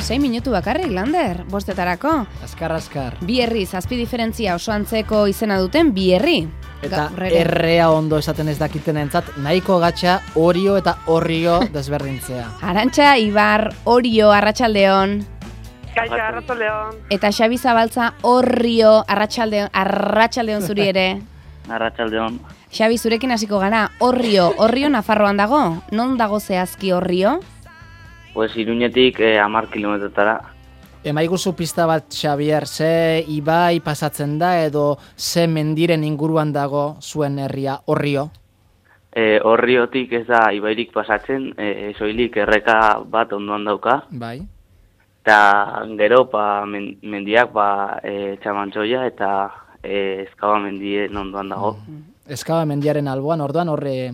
6 minutu bakarrik, Lander, bostetarako. Azkar. Bi herri, zazpi diferentzia oso antzeko izena duten bi herri. Eta errea ondo esaten ez dakiten entzat, nahiko gatxa Orio eta Orrio desberdintzea. Arantxa, Ibar, Orio, Arratsaldeon. Kaixo, Arratsaldeon. Eta Xabi Zabaltza, Orrio, Arratsaldeon zuri ere. Arratsaldeon. Xabi, zurekin hasiko gara, Orrio Nafarroan dago? Non dago zehazki Orrio? Pues Iruñetik 10 kilometrotara. Emaiguzu pista bat, Xabier, ze ibai pasatzen da edo ze mendiren inguruan dago zuen herria Orrio? Orriotik ez da ibairik pasatzen, soilik erreka bat ondoan dauka. Bai. Eta gero mendiak Txamantxoia eta Ezkaba mendien ondoan dago. Ezkaba mendiaren alboan, orduan horre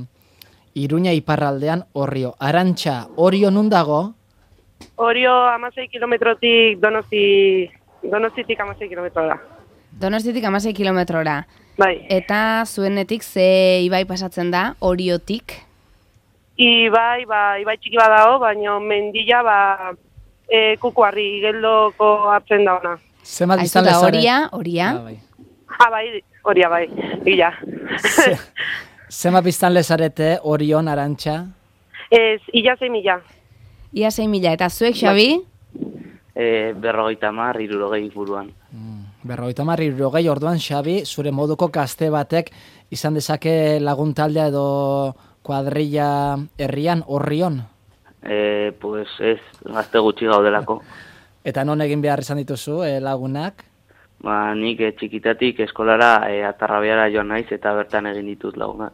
Iruña iparraldean Orrio. Arantxa, Orio nun dago? Orio 16 kilometrotik Donostitik 16 kilometrora. Donostitik 16 kilometrora. Bai. Eta zuenetik ze ibai pasatzen da, Oriotik? Ibai txiki bat dago, baina mendila Kukuarri geldoko hartzen da ona. Zemat biztan lezare? Oria? Bai, Oria bai, gila. Zema biztan lezarete Orion, Arantxa? Ia 6.000. Ia 6.000, eta zuek, Xabi? 50, 60 buruan. 50, 60, orduan, Xabi, zure moduko gazte batek izan dezake lagun taldea edo kuadrilla herrian, Orrion? Pues ez, gazte gutxi gaudelako. Eta non egin behar izan dituzu lagunak? Nik txikitatik eskolara Atarrabiara joan naiz eta bertan egin ditut lagunak.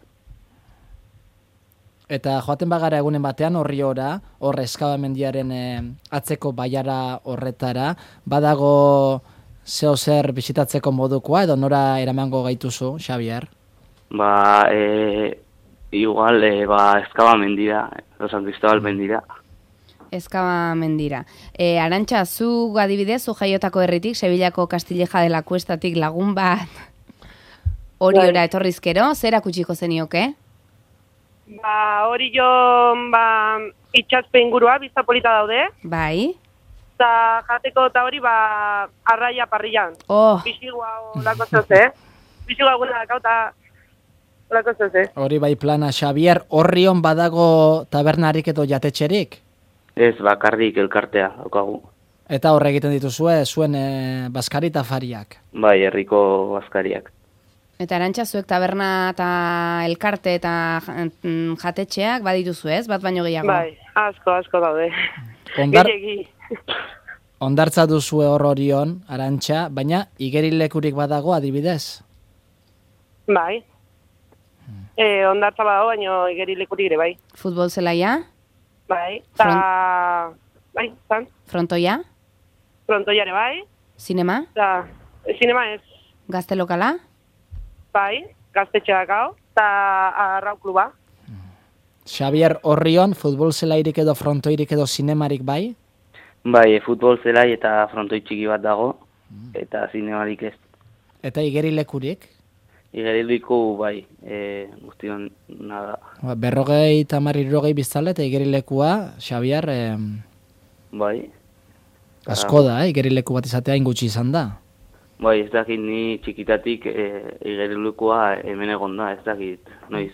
Eta joaten bagara egunen batean Orriora, hor Ezkaba mendiaren atzeko baiara horretara, badago zeo zer bisitatzeko modukoa edo nora eramango gaituzu, Xabier? Igual, Ezkaba mendira, San Cristobal mendira. Ezkaba mendira. Arantxa, zu adibidez, zu jaiotako herritik, Sevillako Castilleja de la Cuestatik lagun bat Oriora etorrizkero, zer akutsiko zenioke? Orio, itxaspe ingurua, bizta polita daude. Bai. Eta jateko eta hori, arraia parrillan. Bizigua olako zoze, Bizigua guna dakau eta olako zoze. Hori bai plana, Xabier, Orrion badago tabernarik edo jatetxerik? Ez, bakarrik elkartea, daukagu. Eta horre egiten dituzue, zuen baskari eta fariak? Bai, herriko baskariak. Eta Arantxa, zuek taberna eta elkarte eta jatetxeak badituzu ez, bat baino gehiago? Bai, asko daude. Ondartza duzue hor Orion, Arantxa, baina igerilekurik badago adibidez? Bai. Ondartza badago, baina igerilekurik ere bai. Futbol zelaia? Bai, Frontoia? Frontoia ere bai. Zinema? Zinema ez. Gazte lokala? Bai, gaztetxea dakau, eta arrau kluba. Xabier, Orrion, futbol zelairik edo frontoirik edo zinemarik bai? Bai, futbol zelai eta frontoi txiki bat dago, eta zinemarik ez. Eta igerilekurik? Igerileku bai, guztion nada. 50-60 biztale eta igerilekua, Xabier, bai. Asko da, igerileku bat izatea ingutxi izan da. Bai, ez dakit ni txikitatik igerilekua hemen egon da, ez dakit noiz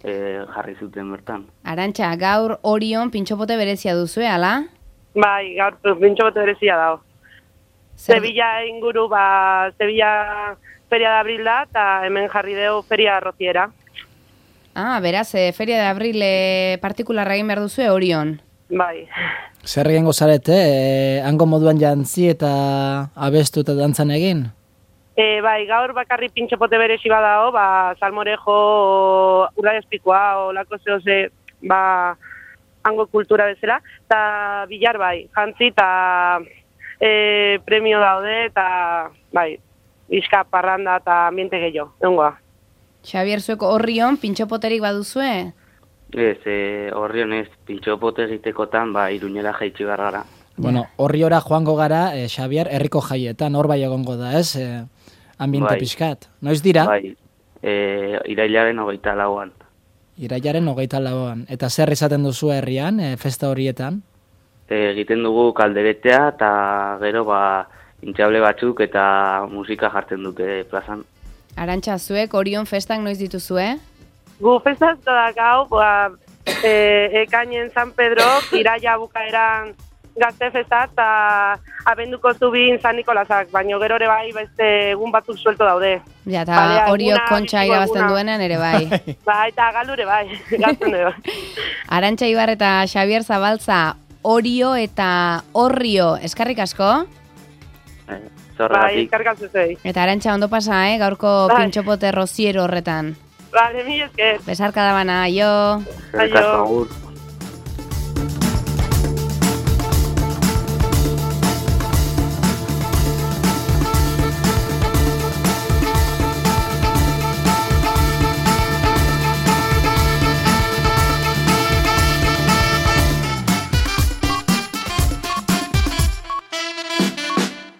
jarri zuten bertan. Arantxa, gaur Orion pintxopote berezia duzue, ala? Bai, gaur pintxopote berezia dago. Sevilla inguru, Sevilla Feria de Abril da, eta hemen jarri deu Feria Rociera. Beraz, Feria de Abril partikularra egin behar duzue Orion. Bai. Zer egin gozarete, hango moduan jantzi eta abestu eta dantzan egin? Bai, gaur bakarri pintxopote berezi badao, salmorejo, ura espikoa, olako zehoze, hango kultura bezala, eta bilar bai, jantzi eta premio daude, eta bai, bizka parranda eta ambiente gehiago, egongoa. Xabier, zueko Orrion pintxopoterik baduzue? Ez, Orrion ez, pintxopote egitekotan, Iruñera jaitsi gara. Bueno, Orriora joango gara, Xabier, herriko jaietan, hor bai egongo da, ez? Ambiente pixkat. Noiz dira? Bai, irailaren 24an. Irailaren 24an. Eta zer izaten duzu herrian, festa horietan? egiten dugu kalderetea eta gero intxable batzuk eta musika jartzen dute plazan. Arantxa, zuek Orion festak noiz dituzue? Gu festazko dakau, ekainen San Pedro, iraia bukaeran gazte festa eta abenduko zubin San Nikolasak, baina gero ere bai beste egun batzuk suelto daude. Ja, eta Oriok kontxa irabazten duenean ere bai. Bai, eta galure bai, gazten ere bai. Arantxa Ibar eta Xabier Zabaltza, Orio eta Orrio, eskarrik asko? Bai, eskarrik asko zei. Eta Arantxa ondo pasa, gaurko pintxopote roziero horretan. Vale, mi esker. Besarka da bana, aio. Aio.